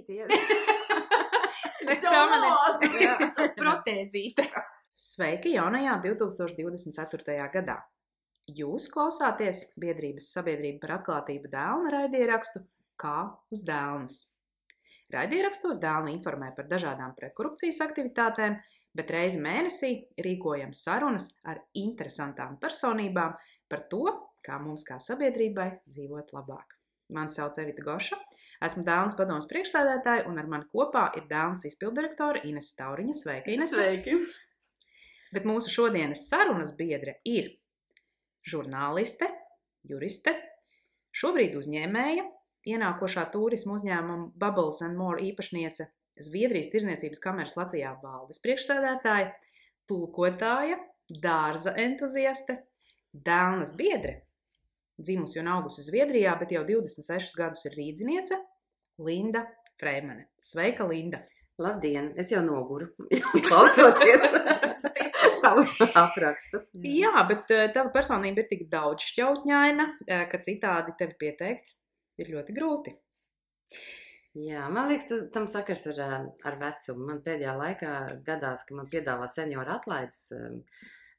protēzīte. Ja? Protēzīte. Sveiki jaunajā 2024. gadā. Jūs klausāties biedrības Sabiedrība par atklātību dēlna raidierakstu Kā uz dēlnes. Raidierakstos dēlni informē par dažādām pretkorupcijas aktivitātēm, bet reizi mēnesī rīkojam sarunas ar interesantām personībām par to, kā mums kā sabiedrībai dzīvot labāk. Mani sauc Evita Goša, esmu Dēlnes padomes priekšsēdētāja un ar mani kopā ir Dēlnes izpildirektora Inese Tauriņa. Sveika, Inese! Sveiki! Bet mūsu šodienas sarunas biedre ir žurnāliste, juriste, šobrīd uzņēmēja, ienākošā turisma uzņēmuma Bubbles & More īpašniece, Zviedrijas Tirzniecības kameras Latvijā valdes priekšsēdētāja, tulkotāja, dārza entuziaste, Dēlnes biedre, dzimusi un augusi Zviedrijā, bet jau 26 gadus ir rīdziniece, Linda Freimane. Sveika, Linda! Labdien! Es jau noguru, klausoties tavu aprakstu. Jā, bet tava personība ir tik daudz šķautņaina, ka citādi tevi pieteikt ir ļoti grūti. Jā, man liekas, tam sakars ar vecumu. Man pēdējā laikā gadās, ka man piedāvā senioru atlaides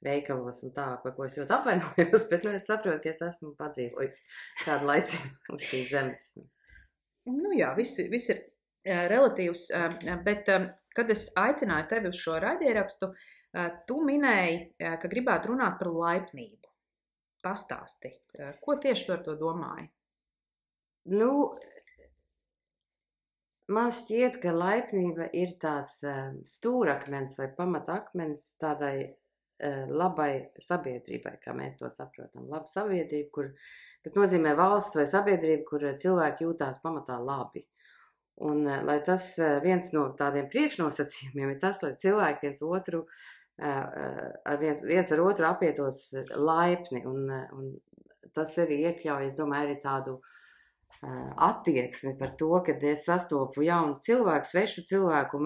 veikalos un tā, par ko es ļoti apvainojos, bet es saprotu, ka es esmu padzīvojis kādu laiciņu uz šīs zemes. Nu jā, viss ir relatīvs, bet kad es aicināju tevi uz šo raidierakstu, tu minēji, ka gribētu runāt par laipnību. Pastāsti, ko tieši tu ar to domāji? Nu, man šķiet, ka laipnība ir tāds stūrakmens vai pamatakmens tādai labai sabiedrībai, kā mēs to saprotam. Laba sabiedrība, kas nozīmē valsts vai sabiedrība, kur cilvēki jūtās pamatā labi. Un lai tas viens no tādiem priekšnosacījumiem ir tas, lai cilvēki viens ar otru apietos laipni. Un tas sevi iekļauj, es domāju, arī tādu attieksmi par to, kad es sastopu jaunu cilvēku, svešu cilvēku,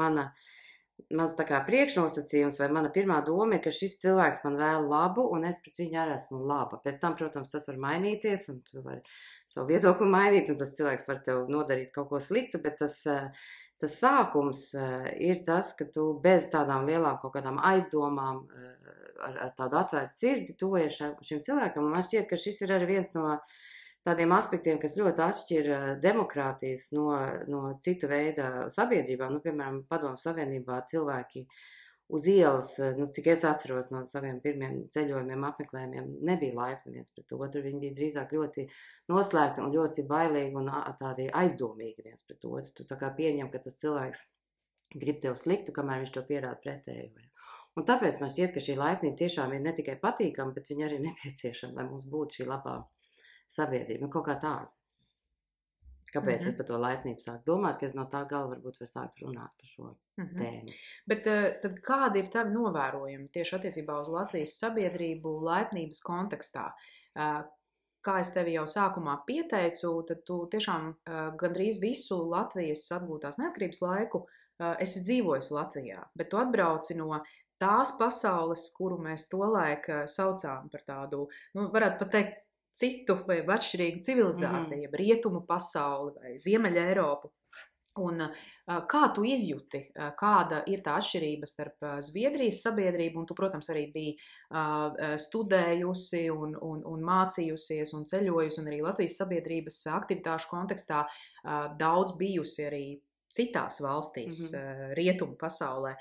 mans tā kā priekšnosacījums vai mana pirmā doma ir, ka šis cilvēks man vēl labu un es pret viņu arī esmu laba. Pēc tam, protams, tas var mainīties un tu vari savu viedokli mainīt un tas cilvēks var tev nodarīt kaut ko sliktu, bet tas sākums ir tas, ka tu bez tādām lielām kaut kādām aizdomām ar tādu atvērtu sirdi tuvojies šim cilvēkam. Un man šķiet, ka šis ir arī viens no tādiem aspektiem, kas ļoti atšķir demokrātijas no cita veida sabiedrībām. Nu, piemēram, Padomu Savienībā cilvēki uz ielas, cik es atceros no saviem pirmiem ceļojumiem, apmeklējumiem, nebija laipni viens pret otru. Viņi bija drīzāk ļoti noslēgti un ļoti bailīgi un tādi aizdomīgi viens pret otru. Tu tā kā pieņem, ka tas cilvēks grib tev sliktu, kamēr viņš to pierāda pretēju. Un tāpēc man šķiet, ka šī laipnība tiešām ir ne tikai patīkama, bet viņa arī nepieciešama, lai mums būtu šī labā sabiedrība, kaut kā tāda. Kāpēc es par to laipnību sāku domāt, ka es no tā gala varbūt var sākt runāt par šo tēmu. Bet tad kādi ir tavi novērojumi tieši attiecībā uz Latvijas sabiedrību laipnības kontekstā? Kā es tevi jau sākumā pieteicu, tad tu tiešām gandrīz visu Latvijas atgūtās neatkarības laiku esi dzīvojis Latvijā, bet tu atbrauci no tās pasaules, kuru mēs tolaik saucām par tādu, varētu pat teikt, citu vai atšķirīgu civilizāciju, rietumu pasauli vai Ziemeļa Eiropu. Un kā tu izjūti, kāda ir tā atšķirība starp Zviedrijas sabiedrību, un tu, protams, arī biji studējusi un mācījusies un ceļojusi, un arī Latvijas sabiedrības aktivitāšu kontekstā daudz bijusi arī citās valstīs, rietumu pasaulē.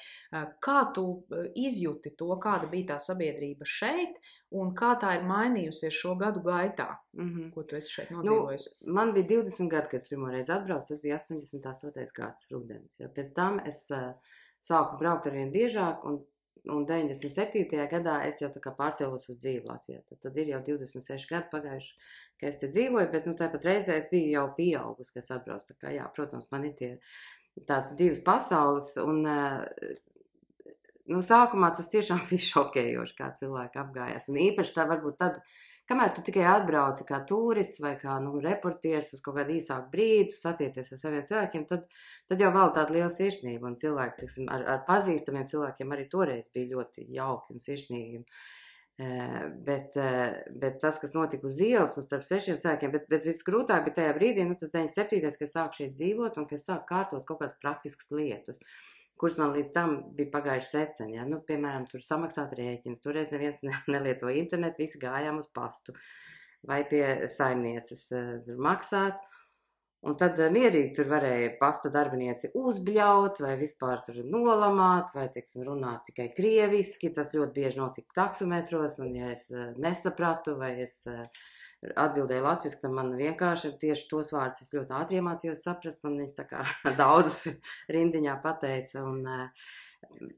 Kā tu izjūti to, kāda bija tā sabiedrība šeit, un kā tā ir mainījusies šo gadu gaitā, ko tu esi šeit nodzīvojusi? Man bija 20 gadi, kad es pirmoreiz atbraucu, tas bija 88. gads rudenis. Ja. Pēc tam es sāku braukt arvien biežāk, un 97. gadā es jau tā kā pārcēlos uz dzīvi Latvijā. Tad ir jau 26 gadi pagājuši, ka es te dzīvoju, bet tāpat reizē es biju jau pieaugus, ka es atbraucu. Tā kā, jā, protams, man ir tās divas pasaules, un sākumā tas tiešām bija šokējoši, kā cilvēki apgājās. Un īpaši tā varbūt tad, kamēr tu tikai atbrauci kā turists vai kā reportieris uz kaut kādu īsāku brīdi, tu satiecies ar saviem cilvēkiem, tad jau valda tāda liela sirsnība. Un cilvēki, ar pazīstamiem cilvēkiem arī toreiz bija ļoti jauki un sirsnīgi. Bet tas, kas notika uz ielas un starp svešiem cilvēkiem, bet visgrūtāk bija tajā brīdī, tas 97. kad es sāku šeit dzīvot un kad es sāku kārtot kaut kādas praktiskas lietas, kuras man līdz tam bija pagājuši seceni. Ja? Piemēram, tur samaksāt rēķins, toreiz neviens nelietoja internetu, visi gājām uz pastu vai pie saimnieces maksāt. Un tad mierīgi tur varēja pasta darbinieci uzbļaut vai vispār tur nolamāt vai, teiksim, runāt tikai krieviski. Tas ļoti bieži notika taksometros, un ja es nesapratu vai es atbildēju latviski, tad man vienkārši tieši tos vārdus es ļoti ātri iemācījos saprast, man viņas tā kā daudzas rindiņā pateica, un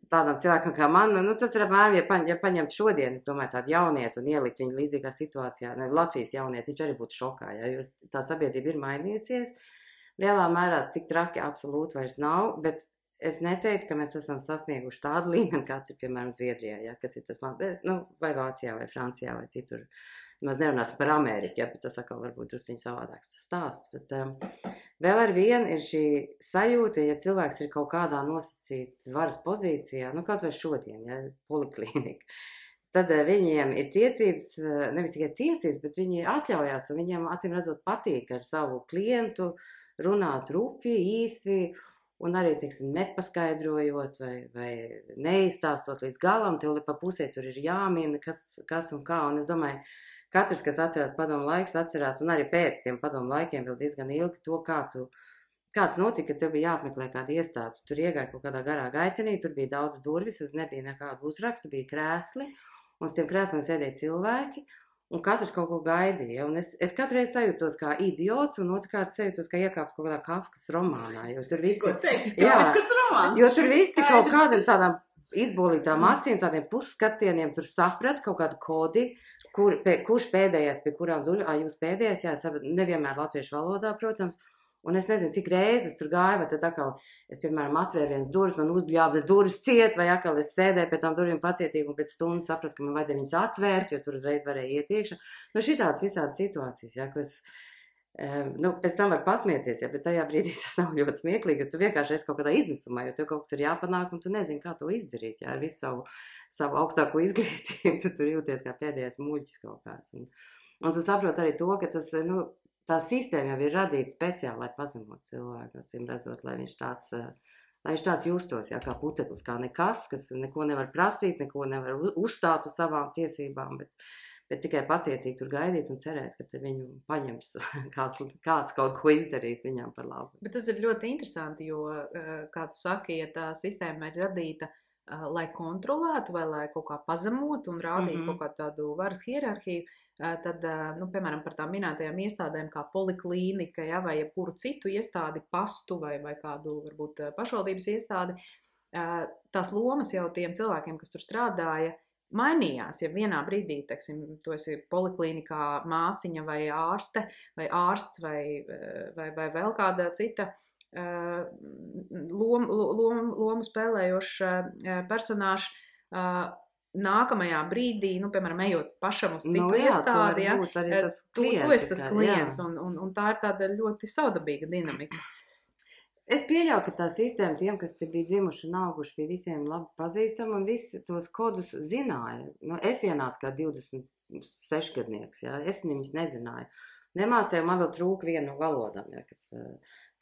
tādam cilvēkam kā man, tas ir apmēram, ja paņemt šodien, es domāju, tādu jaunietu un ielikt viņu līdzīgā situācijā, Latvijas jaunietu, viņš arī būtu šokā, ja, jo tā sabiedrība ir mainījusies. Lielā mērā tik traki absolūti vairs nav, bet es neteiktu, ka mēs esam sasnieguši tādu līmeni, kāds ir, piemēram, Zviedrijā, ja, kas ir tas man, vai Vācijā, vai Francijā, vai citur. Mēs nerunāsim par Ameriku, ja, bet tas atkal varbūt drusciņ savādāks stāsts. Bet vēl ar vienu ir šī sajūta, ja cilvēks ir kaut kādā nosacīta varas pozīcijā, kaut vai šodien, ja, poliklīnika, tad viņiem ir tiesības, nevis tikai tiesības, bet viņi atļaujās, un viņiem acīm redzot patīk ar savu klientu runāt rupji, īsi, un arī, teiksim, nepaskaidrojot vai neizstāstot līdz galam, tev pa pusē tur ir jāmina, kas un kā, un es domāju, katrs, kas atcerās padomu laiks, atcerās, un arī pēc tiem padomu laikiem vēl diezgan ilgi to, kāds notika, ka tev bija jāapmeklē kāda iestāde. Tur iegāja kaut kādā garā gaitenī, tur bija daudz durvis, nebija nekādu uzrakstu, bija krēsli, un uz tiem krēsliem sēdēja cilvēki, un katrs kaut ko gaidīja. Un es katru reizi sajūtos kā idiots, un otrkārt sajūtos, kā iekāps kaut kādā Kafkas romānā, jo tur visi... Ko teikt? Kafkas romāns? Jo tur visi kaut kādam tādām izbolītām acīm, tādiem pusskatieniem tur saprat kaut kādu kodi, kurš pēdējais pie kurām durvīm, jūs pēdējais, jā, nevienmēr latviešu valodā, protams, un es nezinu, cik reizes tur gāju, vai tad atkal, piemēram, atvēr viens durvis, man uzbļāva durvis ciet, vai atkal es sēdēju pie tām durvīm pacietīgi, un pēc stundas sapratu, ka man vajadzēja viņas atvērt, jo tur uzreiz varēja iet iekšā. Šitādas visādas situācijas, ja, kas... pēc tam var pasmieties, ja, bet tajā brīdī tas nav ļoti smieklīgi, jo tu vienkārši esi kaut kādā izmisumā, jo tev kaut kas ir jāpanāk, un tu nezini, kā to izdarīt, ja, ar visu savu augstāko izglītību, tu tur jūties kā pēdējais muļķis kaut kāds. Un tu saproti arī to, ka tas, tā sistēma jau ir radīta speciāli, lai pazemotu cilvēku, acīm redzot, lai viņš tāds justos, ja, kā puteklis, kā nekas, kas neko nevar prasīt, neko nevar uzstāt uz savām tiesībām, bet tikai pacietīgi tur gaidīt un cerēt, ka viņu paņems, kāds kaut ko izdarīs viņam par labu. Bet tas ir ļoti interesanti, jo, kā tu saki, ja tā sistēma ir radīta, lai kontrolētu vai lai kaut kā pazemotu un rādītu kaut kādu tādu varas hierarhiju, tad, piemēram, par tām minētajām iestādēm kā poliklīnika, ja, vai jebkuru citu iestādi, pastu vai kādu, varbūt, pašvaldības iestādi, tās lomas jau tiem cilvēkiem, kas tur strādāja, mainījās, ja vienā brīdī, teiksim, tu esi poliklīnikā māsiņa vai ārste, vai ārsts, vai vēl kāda cita lomu spēlējoša personāža, nākamajā brīdī, piemēram, ejot pašam uz citu iestādi, ja, tu esi tas klients, un tā ir tāda ļoti saudabīga dinamika. Es pieļauju, ka tā sistēma tiem, kas te bija dzimuši un auguši, bija visiem labi pazīstama un visi tos kodus zināja. Es ienācu kā 26-gadnieks, ja? Es viņus nezināju. Nemācēju, man vēl trūka viena no valodām, ja,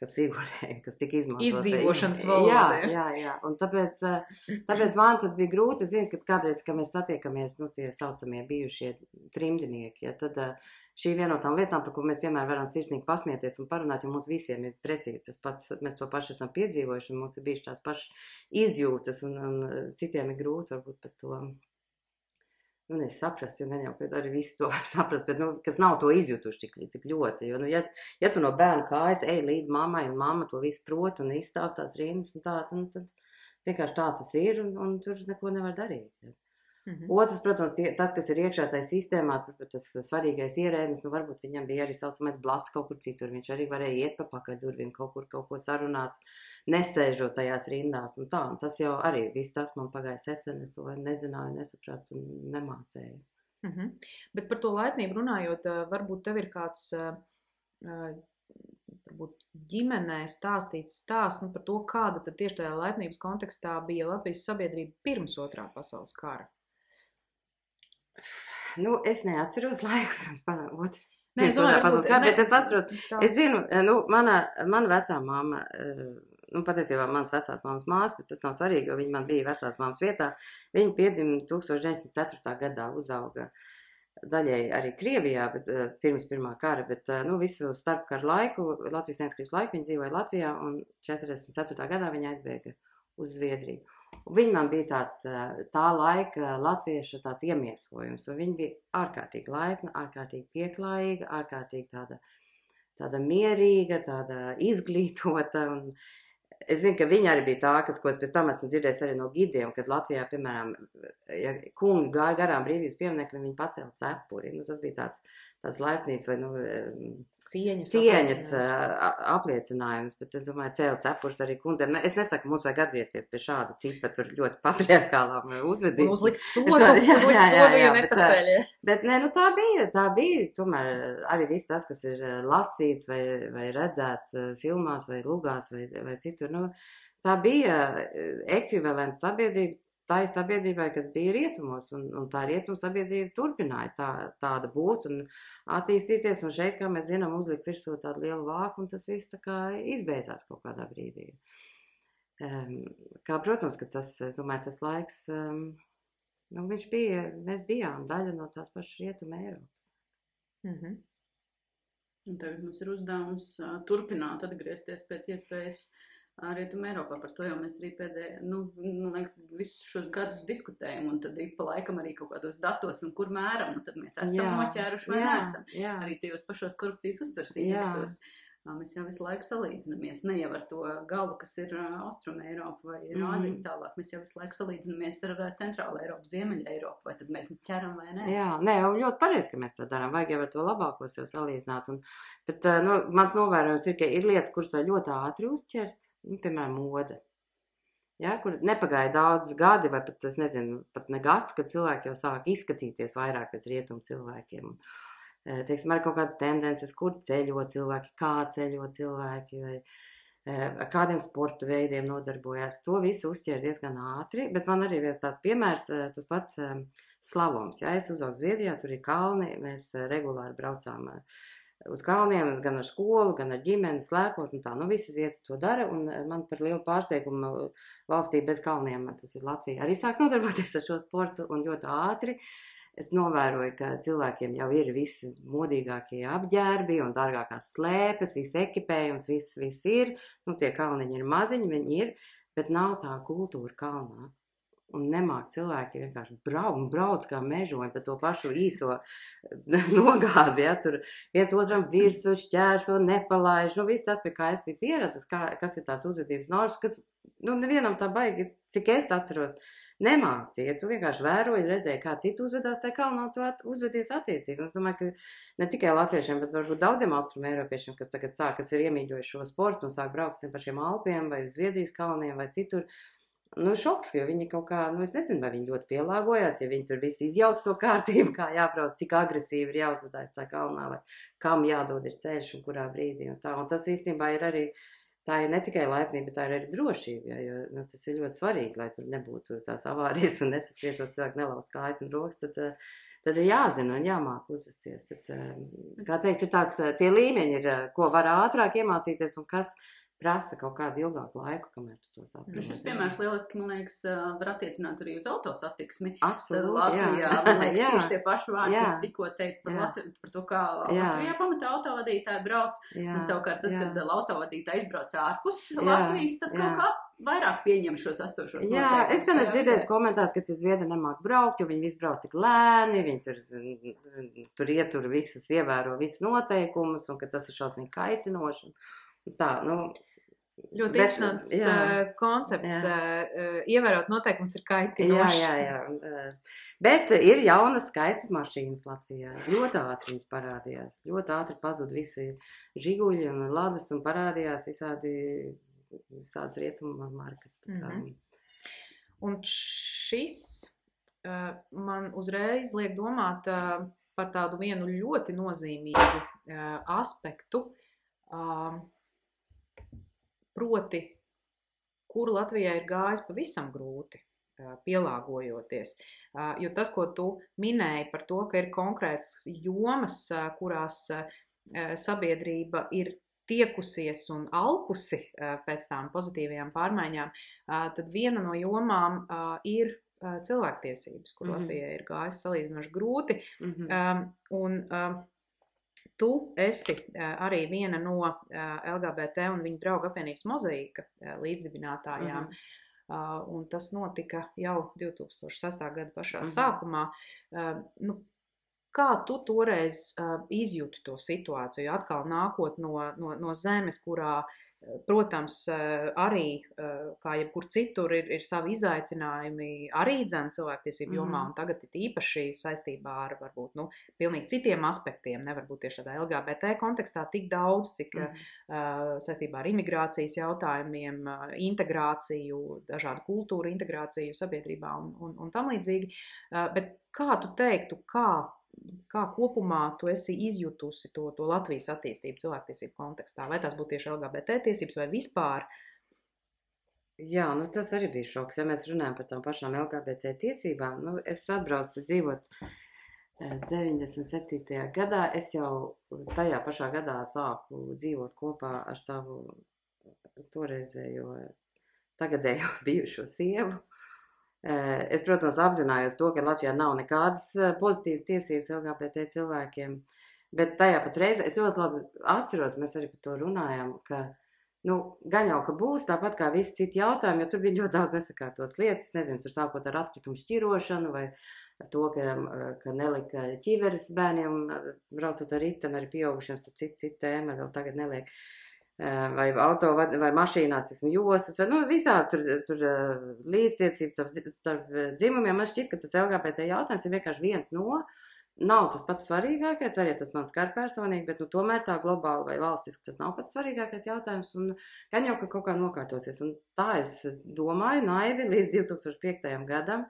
kas figurēja, kas tika izmantot. Izdzīvošanas valoda. Jā. Un tāpēc man tas bija grūti. Zinu, ka kādreiz, kad mēs satiekamies, tie saucamie bijušie trimdinieki, ja, tad šī viena no tām lietām, par ko mēs vienmēr varam sirsnīgi pasmieties un parunāt, jo mums visiem ir precīzi tas pats, mēs to paši esam piedzīvojuši, un mums ir bijuši tās pašas izjūtas, un citiem ir grūti varbūt par to. Es saprastu, jo gan jau, ka arī visi to var saprast, bet, kas nav to izjutuši tik ļoti, jo, ja tu no bērnu kājas ej līdz mammai, un mamma to visu prot, un izstāv tās rindas, un tā, tad vienkārši tā tas ir, un tur neko nevar darīt. Ja. Otrs, protams, tas, kas ir iekšā tajā sistēmā, tas svarīgais ierēdnis, varbūt viņam bija arī saucamais blats kaut kur citur, viņš arī varēja iet pa pakaļ durvīm, kaut ko sarunāt, nesēžot tajās rindās, un tā, un tas jau arī viss tas man pagāja seceni, es to nezināju, nesapratu un nemācēju. Bet par to laipnību runājot, varbūt tev ir kāds, varbūt ģimenē stāstīts stāsts par to, kāda tad tieši tajā laipnības kontekstā bija Latvijas sabiedrība pirms 2. pasaules kara. Nu, es neatceros laiku pirms otru. Nē, es domāju, varbūt, bet es atceros, tā. es zinu, nu, mana vecā mamma, nu, patiesībā manas vecās mammas māsa, bet tas nav svarīgi, jo viņa man bija vecās mammas vietā. Viņa piedzima 1904. gadā, uzauga daļēji arī Krievijā, bet pirms pirmā kara, bet, nu, visu starpkaru laiku, Latvijas neatkarības laiku viņa dzīvoja Latvijā, un 44. gadā viņa aizbēga uz Zviedriju. Viņa man bija tāds tā laika latviešu tāds iemiesojums, un viņa bija ārkārtīgi laipna, ārkārtīgi pieklājīga, ārkārtīgi tāda mierīga, tāda izglītota, un es zinu, ka viņa arī bija tā, ko es pēc tam esmu dzirdējis arī no gidiem, kad Latvijā, piemēram, ja kungi gāja garām brīvības piemineklim, viņi pacēla cepuri, nu tas bija tāds laipnības vai, nu, cieņas apliecinājums, bet es domāju, cēla cepurs arī kundzēm. Es nesaku, mums vajag atgriezties pie šāda tipa, tur ļoti patriarkālām uzvedības. Uzlikt sodu, ja nepaceļ. Bet, nē, nu tā bija, tomēr arī viss tas, kas ir lasīts vai redzēts filmās vai lugās vai citur, nu, tā bija ekvivalents sabiedrība tai sabiedrībai, kas bija rietumos, un tā rietuma sabiedrība turpināja tāda būt un attīstīties, un šeit, kā mēs zinām, uzlikt virsū tādu lielu vāku, un tas viss tā kā izbeidzās kaut kādā brīdī. Kā, protams, ka tas, es domāju, tas laiks, nu, mēs bijām daļa no tās pašas rietuma Eiropas. Mhm. Un tagad mums ir uzdevums turpināt atgriezties pēc iespējas Rietuma Eiropā. Par to jau mēs arī liekas, visus šos gadus diskutējam, un tad ik pa laikam arī kaut kādos datos, un kur mēram, nu tad mēs esam noķēruši vai neesam. Arī tajos pašos korupcijas uztvers indeksos. Mēs jau visu laiku salīdzinamies, ne jau ar to galu, kas ir Austruma Eiropa vai Āzija tālāk, mēs jau visu laiku salīdzinamies ar Centrāla Eiropu, Ziemeļa Eiropu, vai tad mēs ķeram vai ne? Jā, nē, un ļoti pareizi, ka mēs tā darām, vajag jau ar to labāko sev salīdzināt, bet nu, mans novērojums ir, ka ir lietas, kuras vēl ļoti ātri uzķert, nu, piemēram, moda. Ja, kur nepagāja daudz gadi, vai pat, es nezinu, pat ne gads, kad cilvēki jau sāk izskatīties vairāk pēc rietumu cilvēkiem. Teiksim, ar kaut kādas tendences, kur ceļo cilvēki, kā ceļo cilvēki, vai ar kādiem sporta veidiem nodarbojās. To visu uzķēra diezgan ātri, bet man arī viens tāds piemērs, tas pats slavums. Ja, es uzaugu Zviedrijā, tur ir kalni, mēs regulāri braucām uz kalniem, gan ar skolu, gan ar ģimeni, slēpot, un tā, nu, visas vietas to dara, un man par lielu pārsteigumu valstī bez kalniem, tas ir Latvija, arī sāk nodarboties ar šo sportu, un ļoti ātri. Es novēroju, ka cilvēkiem jau ir visi modīgākie apģērbi un dārgākās slēpes, viss ekipējums, viss ir. Nu, tie kalniņi ir maziņi, viņi ir, bet nav tā kultūra kalnā. Un nemāk cilvēki vienkārši brauc kā mežoņi pa to pašu īso nogāzi, ja, tur viens otram virsu, šķērso, nepalaiž, nu, viss tas, pie kā es biju pieradusi, kas ir tās uzvedības normas, kas, nu, nevienam tā baigi, cik es atceros, nemācīja. Tu vienkārši vēroji, redzēji, kā citu uzvedās, tā kalnā tu uzvedies attiecīgi. Un es domāju, ka ne tikai latviešiem, bet varbūt daudziem austrumu eiropiešiem, kas tagad kas ir iemīļojuši šo sportu un sāk braukt pa šiem Alpiem vai uz Zviedrijas kalniem vai citur. Nu, šoks, jo viņi kaut kā, nu, es nezinu, vai viņi ļoti pielāgojās, ja viņi tur visi izjauc to kārtību, kā jābrauc, cik agresīvi ir jāuzvedās tā kalnā, vai kam jādod ir ceļš un kurā brīdī. Un tas īstenībā ir arī, tā ir ne tikai laipnība, bet tā ir arī drošība, ja, jo nu, tas ir ļoti svarīgi, lai tur nebūtu tās avārijas un nesaskrietos cilvēki nelaust kājas un rokas, tad ir jāzina un jāmāk uzvesties. Bet, kā teiks, ir tās, tie līmeņi ir, ko var ātrāk iemācīties un kas prasa kaut kādu ilgāku laiku, kamēr tu to saproti. Šis piemērs lieliski, man liekas, var attiecināt arī uz autosatiksmi. Absolūti, Latvijā, man liekas, tieši tie paši vārdi, kas tikko teica par to, kā Latvijā pamatā autovadītāji brauc. Un savukārt, tad, kad autovadītāji izbrauc ārpus Latvijas, tad kaut kā vairāk pieņem šos esošos noteikumus. Jā, es gan esmu dzirdējis komentārus, ka tie zviedri nemāk braukt, jo viņi visi brauc tik lēni, viņi tur ietur visas, ievēro visas noteikumus, un ka tas ir šausmīgi kaitinoši. Tā, nu, ļoti interesants koncepts. Ievērot noteikums ir kaitinoši. Jā. Bet ir jaunas skaistas mašīnas Latvijā. Ļoti ātri viņas parādījās. Ļoti ātri pazuda visi žiguļi un ladas un parādījās visādas rietuma markas. Un šis man uzreiz liek domāt par tādu vienu ļoti nozīmīgu aspektu, proti, kuru Latvijai ir gājis pavisam grūti. pielāgojoties. Jo tas, ko tu minēji par to, ka ir konkrētas jomas, kurās sabiedrība ir tiekusies un alkusi pēc tām pozitīvajām pārmaiņām, tad viena no jomām ir cilvēktiesības, kur Latvijai ir gājis salīdzinoši grūti. Un tu esi arī viena no LGBT un viņu draugu apvienības Mozaīka līdzdibinātājām. Un tas notika jau 2006. Gada pašā sākumā. Kā tu toreiz izjūti to situāciju, atkal nākot no zemes, kurā, protams, arī, kā jebkur citur, ir savi izaicinājumi arī cilvēktiesību jomā, un tagad ir īpaši saistībā ar, varbūt, pilnīgi citiem aspektiem, nevar būt tieši tādā LGBT kontekstā tik daudz, cik saistībā ar imigrācijas jautājumiem, integrāciju, dažādu kultūru integrāciju sabiedrībā un tam līdzīgi. Bet kā tu teiktu, kā kopumā tu esi izjutusi to Latvijas attīstību cilvēktiesību kontekstā? Vai tās būtu tieši LGBT tiesības vai vispār? Jā, tas arī bija šoks. Ja mēs runājam par tām pašām LGBT tiesībām, es atbraucu dzīvot 97. gadā. Es jau tajā pašā gadā sāku dzīvot kopā ar savu toreizējo, tagadējo bijušo sievu. Es, protams, apzinājos to, ka Latvijā nav nekādas pozitīvas tiesības LGBT cilvēkiem, bet tajā pat reizē es ļoti labi atceros, mēs arī par to runājām, ka, gan jau, ka būs tāpat kā visi citi jautājumi, jo tur bija ļoti daudz nesakārtotas lietas, es nezinu, tur sākot ar atkritumu šķirošanu vai ar to, ka nelika ķiveres bērniem, braucot ar riteni, arī pieaugušiem, starp citu tēma, vēl tagad neliek. Vai auto vai mašīnās, jostas, vai visās tur līdztiecības starp dzimumiem. Man šķiet, ka tas LGBT jautājums ir vienkārši viens nav tas pats svarīgākais, arī tas man skar personīgi, bet tomēr tā globāli vai valstiski tas nav pats svarīgākais jautājums, un gan jau, ka kaut kā nokārtosies. Un tā es domāju naivi līdz 2005. Gadam,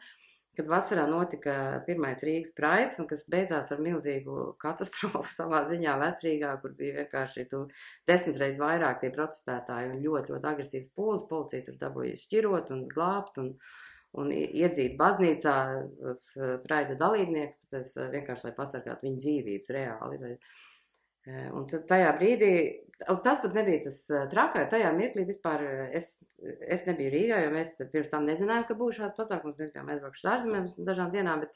kad vasarā notika pirmais Rīgas Praids, un kas beidzās ar milzīgu katastrofu savā ziņā Vecrīgā, kur bija vienkārši 10 reizes vairāk tie protestētāji un ļoti, ļoti agresīvs pūlis. Policija tur dabūja šķirot un glābt un iedzīt baznīcā tos Praida dalībniekus, tāpēc vienkārši, lai pasargātu viņu dzīvības reāli. Un tad tajā brīdī, tas pat nebija tas trakais, tajā mirklī vispār es nebiju Rīgā, jo mēs pirms tam nezinājām, ka būs šāds pasākums, mēs bijām aizbraukuši ārzemēm dažām dienām, bet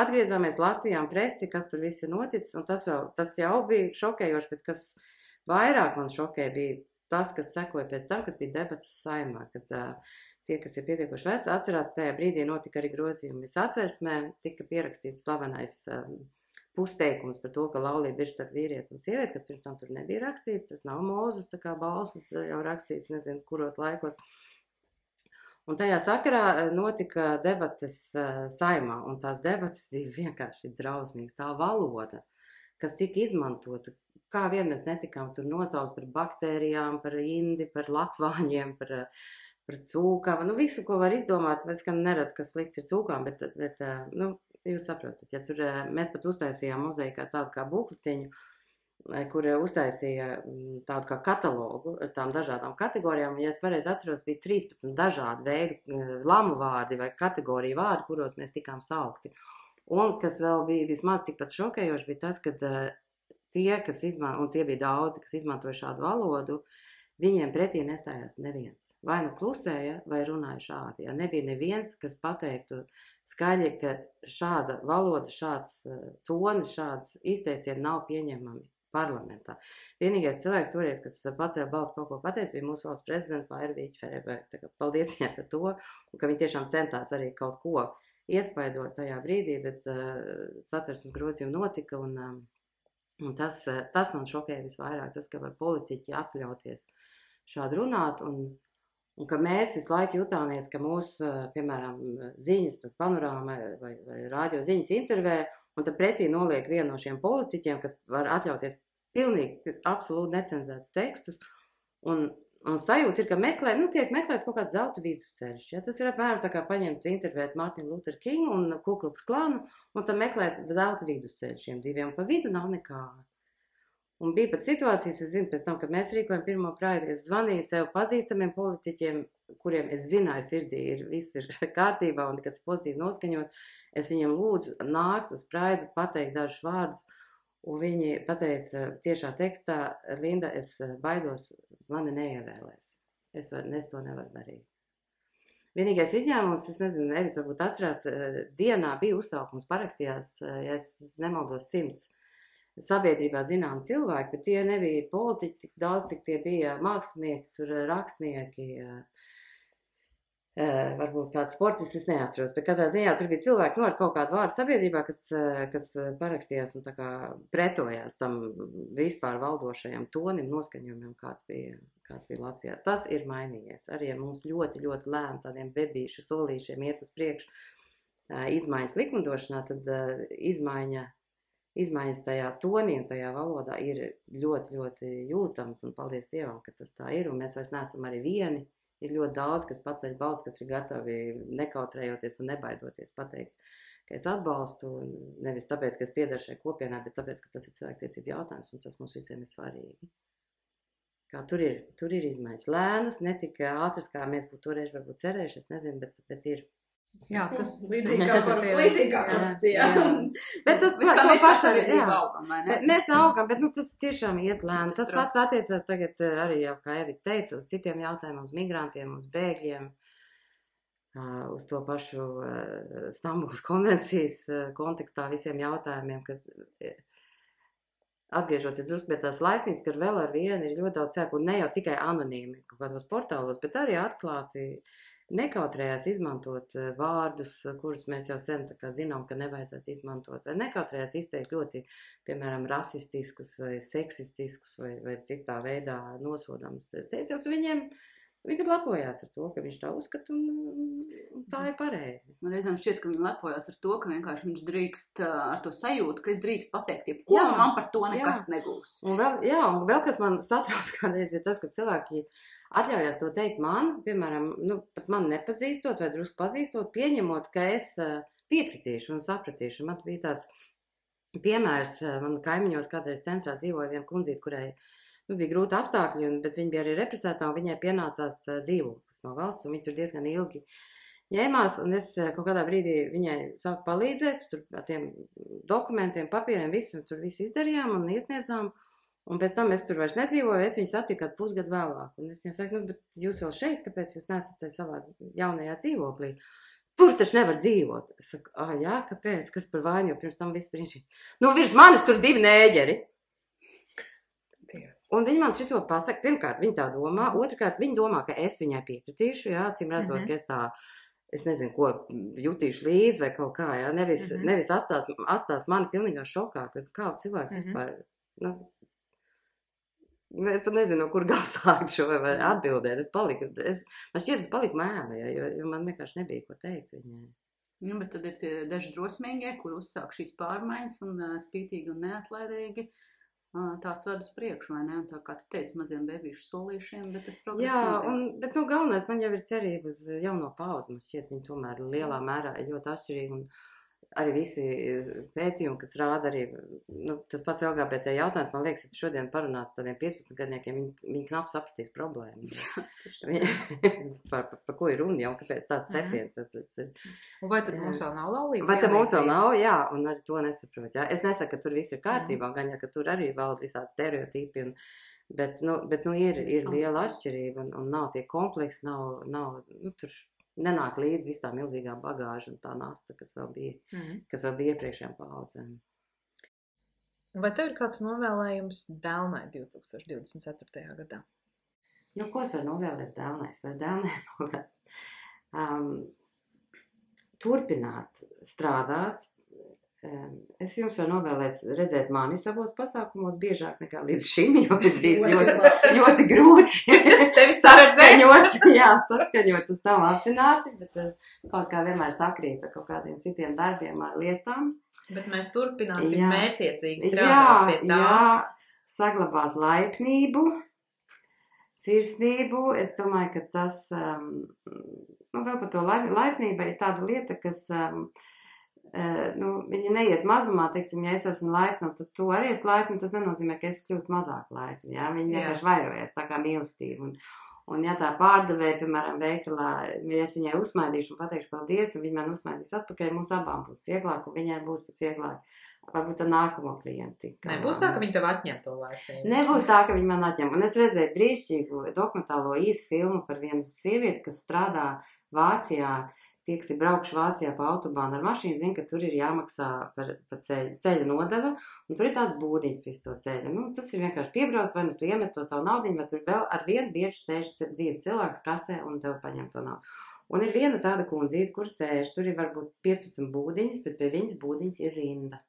atgriezāmies, lasījām presi, kas tur viss ir noticis, un tas jau bija šokējoši, bet kas vairāk man šokēja bija tas, kas sekoja pēc tam, kas bija debatas Saeimā, kad tie, kas ir pietiekoši veci, atcerās, ka tajā brīdī notika arī grozījumi Satversmē, tika pierakstīts slavenais pusteikums par to, ka laulība ir starp vīrieti un sievieti, kas pirms tam tur nebija rakstīts, tas nav Mūzus, tā kā balsis jau rakstīts, nezinu, kuros laikos. Un tajā sakarā notika debates Saeimā, un tās debates bija vienkārši drausmīgas. Tā valoda, kas tika izmantota, kā vien mēs netikām tur nosaukt par baktērijām, par indi, par latvāņiem, par cūkām, visu, ko var izdomāt, es gan neredzu, kas slikts ir cūkām, bet jūs saprotat, ja tur mēs pat uztaisījām Mozaīkā tādu kā bukletiņu, kur uztaisīja tādu kā katalogu ar tām dažādām kategorijām, un, ja es pareizi atceros, bija 13 dažādi veidi lamu vārdi vai kategoriju vārdi, kuros mēs tikām saukti. Un, kas vēl bija vismaz tikpat šokējoši, bija tas, ka tie, kas un tie bija daudzi, kas izmantoja šādu valodu, viņiem pretī nestājās neviens. Vai klusēja, vai runāja šādi. Ja nebija neviens, kas pateiktu skaļi, ka šāda valoda, šāds tonis, šāds izteicieni nav pieņemami parlamentā. Vienīgais cilvēks toreiz, kas pacēla balsi kaut ko pateica, bija mūsu valsts prezidenta Vairvīķa Fereberga. Paldies viņai par to, un ka viņa tiešām centās arī kaut ko iespaidot tajā brīdī, bet Satversmes grozījumi notika, un tas man šokēja visvairāk, tas, ka var politiķi atļauties šādi runāt, un ka mēs visu laiku jutāmies, ka mūsu, piemēram, ziņas, panorāma vai rādio ziņas intervē, un tad pretī noliek vienu no šiem politiķiem, kas var atļauties pilnīgi, absolūti necenzētus tekstus, un sajūta ir, ka tiek meklēts kaut kāds zelta vidusceļš. Ja? Tas ir apmēram tā kā paņemt intervēt Martinu Lutheru Kingu un Ku Klux Klanu, un tad meklēt zelta vidusceļu šiem diviem, pa vidu nav nekā. Un bija pat situācijas, es zinu, pēc tam, kad mēs rīkojam pirmo projektu, es zvanīju sev pazīstamiem politiķiem, kuriem es zināju sirdī, viss ir kārtībā un kas pozitīvi noskaņot. Es viņiem lūdzu nākt uz praidu, pateikt dažus vārdus, un viņi pateica tiešā tekstā, Linda, es baidos, mani neievēlēs. Es to nevaru darīt. Vienīgais izņēmums, es nezinu, Evita varbūt atcerās, dienā bija uzsaukums, parakstījās, ja es nemaldos 100 sabiedrībā zinām cilvēki, bet tie nebija politiķi tik daudz, cik tie bija mākslinieki, tur rakstnieki, varbūt kāds sportists, es neatceros, bet katrā ziņā tur bija cilvēki, ar kaut kādu vārdu sabiedrībā, kas parakstījās un tā kā pretojās tam vispār valdošajam tonim, noskaņojumam, kāds bija Latvijā. Tas ir mainījies. Arī ja mums ļoti, ļoti lēm tādiem bebīšu solīšiem iet uz priekšu izmaiņas likumdošanā, tad izmaiņas tajā tonī un tajā valodā ir ļoti, ļoti jūtams, un paldies Dievam, ka tas tā ir, un mēs vairs neesam arī vieni. Ir ļoti daudz, kas paceļ balss, kas ir gatavi nekautrējoties un nebaidoties pateikt, ka es atbalstu, nevis tāpēc, ka es piedaru šai kopienai, bet tāpēc, ka tas ir cilvēktiesību jautājums, un tas mums visiem ir svarīgi. Kā tur ir izmaiņas. Lēnas, ne tik ātras, kā mēs būtu toreiz varbūt cerējuši, es nezinu, bet ir. Jā, tas līdzīgi kā korupcija. Bet tas kā mēs sabiedrībā augam, vai ne? Mēs augam, bet tas tiešām iet lēni. Tas pats attiecās tagad arī jau, kā Evita teica, uz citiem jautājumiem, uz migrantiem, uz bēgļiem, uz to pašu Stambulas konvencijas kontekstā visiem jautājumiem, kad atgriežoties drusku pie tās laipnības, ka vēl ar vienu ir ļoti daudz cilvēku, un ne jau tikai anonīmi kaut kādos portālos, bet arī atklāti nekautrējās izmantot vārdus, kurus mēs jau sen tā kā zinām, ka nevajadzētu izmantot, vai nekautrējās izteikt ļoti, piemēram, rasistiskus vai seksistiskus vai citā veidā nosodāmus teicienus. Viņi pat lepojās ar to, ka viņš tā uzskata, un tā ir pareizi. Man reizēm šķiet, ka viņi lepojās ar to, ka vienkārši viņš drīkst ar to sajūtu, ka es drīkst pateikt, jebko, un man par to nekas nebūs. Un vēl kas man satrauc kādreiz ir tas, ka cilvēki atļaujās to teikt man, piemēram, pat man nepazīstot vai drusku pazīstot, pieņemot, ka es piekritīšu un sapratīšu. Man bija tās piemērs, man kaimiņos kādreiz centrā dzīvoja viena kundzīt, kurai bija grūti apstākļi, bet viņa bija arī represētā, un viņai pienācās dzīvoklis no valsts, un viņa tur diezgan ilgi ņēmās, un es kaut kādā brīdī viņai sāku palīdzēt, tur ar tiem dokumentiem, papīriem, tur visu izdarījām un iesniedzām. Un pēc tam es tur vairs nedzīvoju, es viņu satiku kādu pusgadu vēlāk. Un es viņai saku, bet jūs vēl šeit, kāpēc jūs nesat savā jaunajā dzīvoklī? Tur taču nevar dzīvot. Es saku, jā, kāpēc? Kas par vainu, jo pirms tam viss brīnišķīgi. Virs manis tur 2 nēģeri. Un viņi man šito pasaka, pirmkārt, viņi tā domā, otrkārt, viņi domā, ka es viņai piekritīšu, jā, acīm redzot, ka es nezinu, ko jutīšu līdzi vai kaut kā, jā, nevis atstās mani pilnīgā šokā, ka kā cilvēks vispār, es pat nezinu, no kur gal sākt šo vai atbildēt. Man šķiet, es paliku mēma, jo man vienkārši nebija ko teikt viņai. Bet tad ir tie daži drosmīgie, kur uzsāk šīs pārmaiņas un spītīgi un neatlaidīgi tās ved uz priekšu, vai ne? Un tā kā tu teici, maziem bebīšu solīšiem, bet tas progress notiek. Bet galvenais man jau ir cerība uz jauno paudzi. Man šķiet, viņi tomēr lielā mērā ir ļoti atšķirīgi un arī visi pētījumi, kas rāda arī, tas pats LGBT jautājums, man liekas, es šodien parunāts tādiem 15-gadniekiem, viņi knapi sapratīs problēmu. par ko ir runa jau, kāpēc tās cepiens. Un vai tad mums vēl nav laulība? Vai tad mums vēl nav, jā, un arī to nesaprot, jā. Es nesaku, ka tur viss ir kārtībā, gan jau, ka tur arī valda visādi stereotipi, bet ir liela atšķirība, un nav tie kompleksi, nav tur nenāk līdz viss tā milzīgā bagāža un tā nasta, kas vēl bija iepriekšējām paudzēm. Vai tev ir kāds novēlējums Dēlnai 2024. gadā? Ko es varu novēlēt Dēlnai? Es varu Dēlnai novēlēt turpināt strādāt. Es jums varu novēlēt redzēt mani savos pasākumos biežāk nekā līdz šim, jo ir bijis ļoti grūti saskaņot uz tavu apzināti, bet kaut kā vienmēr sakrīt ar kaut kādiem citiem darbiem, lietām. Bet mēs turpināsim mērķiecīgi strādāt pie tā. Jā, saglabāt laipnību, sirsnību. Es domāju, ka tas, vēl par to laipnība ir tāda lieta, kas Viņi neiet mazumā, teiksim, ja es esmu laipna, tad tu arī esi laipna, tas nenozīmē, ka es kļūstu mazāk laipna, jā, viņi vienkārši vairojas, tā kā mīlestība, un ja tā pārdevēja, piemēram, veikalā, ja es viņai uzsmaidīšu un pateikšu paldies, un viņa man uzsmaidīs atpakaļ, mums abām būs vieglāk, un viņai būs pat vieglāk, varbūt tā nākamo klienti. Nebūs tā, ka viņi tev atņem to laipnību. Nebūs tā, ka viņi man atņem, un es redzēju brīnišķīgu dokumentālo īsu filmu par vienu sievieti, kas strādā Vācijā. Tie, kas ir braukuši Vācijā pa autobānu ar mašīnu, zina, ka tur ir jāmaksā par ceļa nodeva, un tur ir tāds būdiņas pie to ceļa. Tas ir vienkārši piebrauc, vai tu iemet to savu naudiņu, vai tur vēl ar vienu bieži sēž dzīves cilvēks kasē un tev paņem to naudu. Un ir viena tāda kundzīte, kur sēž, tur ir varbūt 15 būdiņas, bet pie viņas būdiņas ir rinda.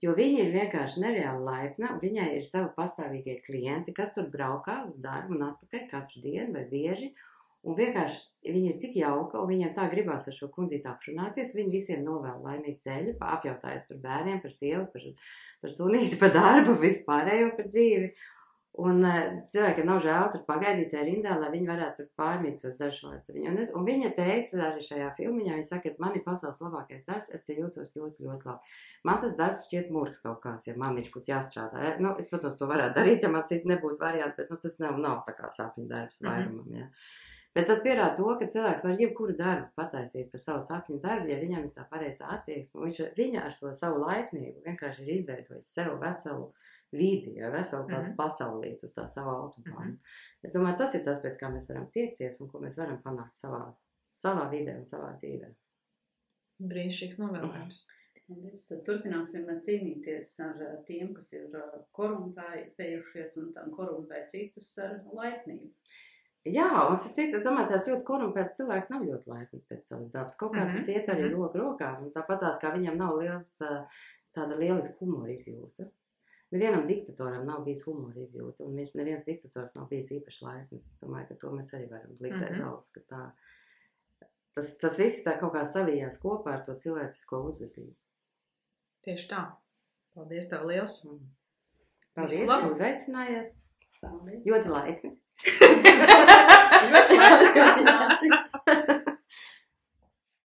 Jo viņa ir vienkārši nereāli laipna, un viņai ir savi pastāvīgie klienti, kas tur braukā uz darbu un atpakaļ katru dienu vai bieži. Un vienkārši viņa ir tik jauka, un viņiem tā gribās ar šo kundzīti aprunāties. Viņi visiem novēl laimīgu ceļu, apjautājas par bērniem, par sievu, par sunīti, par darbu, vispārējo par dzīvi. Un cilvēkiem nav žēl tur pagaidīt tajā rindā, lai viņi varētu pārmīt tos dažus vārdus. Un viņa teica arī šajā filmiņā, viņa saka, ka man ir pasaules labākais darbs, es te jūtos ļoti, ļoti labi. Man tas darbs šķiet murgs kaut kāds, ja man viņš būtu jāstrādā. Es, protams, to varētu darīt, ja man citi nebūtu varianti, bet tas nav tā kā sapņu darbs vairumam, jā. Bet tas pierāda to, ka cilvēks var jebkuru darbu pataisīt par savu sapņu darbu, ja viņam ir tā pareizā attieksme. Viņa ar savu laipnību vienkārši ir izveidojis sev veselu vidi, veselu tādu pasaulīti uz tā savu autobānu. Es domāju, tas ir tas, pēc kā mēs varam tiekties un ko mēs varam panākt savā vidē un savā dzīvē. Brīnišķīgs novēlējums. Tad turpināsim cīnīties ar tiem, kas ir korumpējušies un korumpē citus ar laipnību. Jā, un es domāju, tās ļoti korumpēts cilvēks nav ļoti laipns pēc savas dabas. Kaut kā tas iet arī roku rokā, un tāpatās, kā viņam nav tāda lieliska humora izjūta. Nevienam diktatoram nav bijis humora izjūta, un neviens diktators nav bijis īpaši laipns. Es domāju, ka to mēs arī varam likt aiz auss, ka tā. Tas viss tā kaut kā savijās kopā ar to cilvēcisko uzvedību. Tieši tā. Paldies tev liels. Paldies, ka uzaicinājāt. Paldies. Ļoti laipni. Ļoti